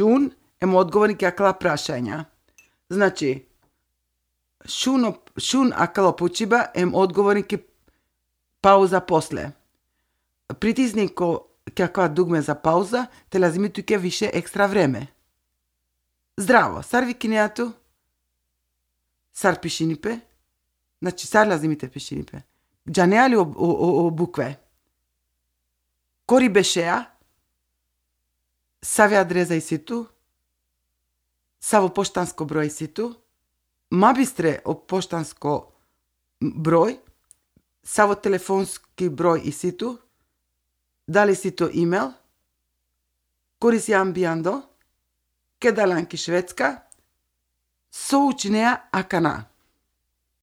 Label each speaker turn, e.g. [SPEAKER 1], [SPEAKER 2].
[SPEAKER 1] шун ем одговорник акала прашања. Значи, шун акало почиба ем одговорник пауза после. Притисни каква дугме за пауза, те лазимитуќе више екстра време. Здраво, сар викинеату? Сар пишинипе? Значи, сар лазимите пишинипе. Джанеали о букве. Кори бешеа? Саве адреза и ситу? Саво поштанско број и ситу? Мабистре о поштанско број? Саво телефонски број и ситу? Дали сито имейл? Кориси амбијандо? Кедаланки шведска? Соучинеа акана.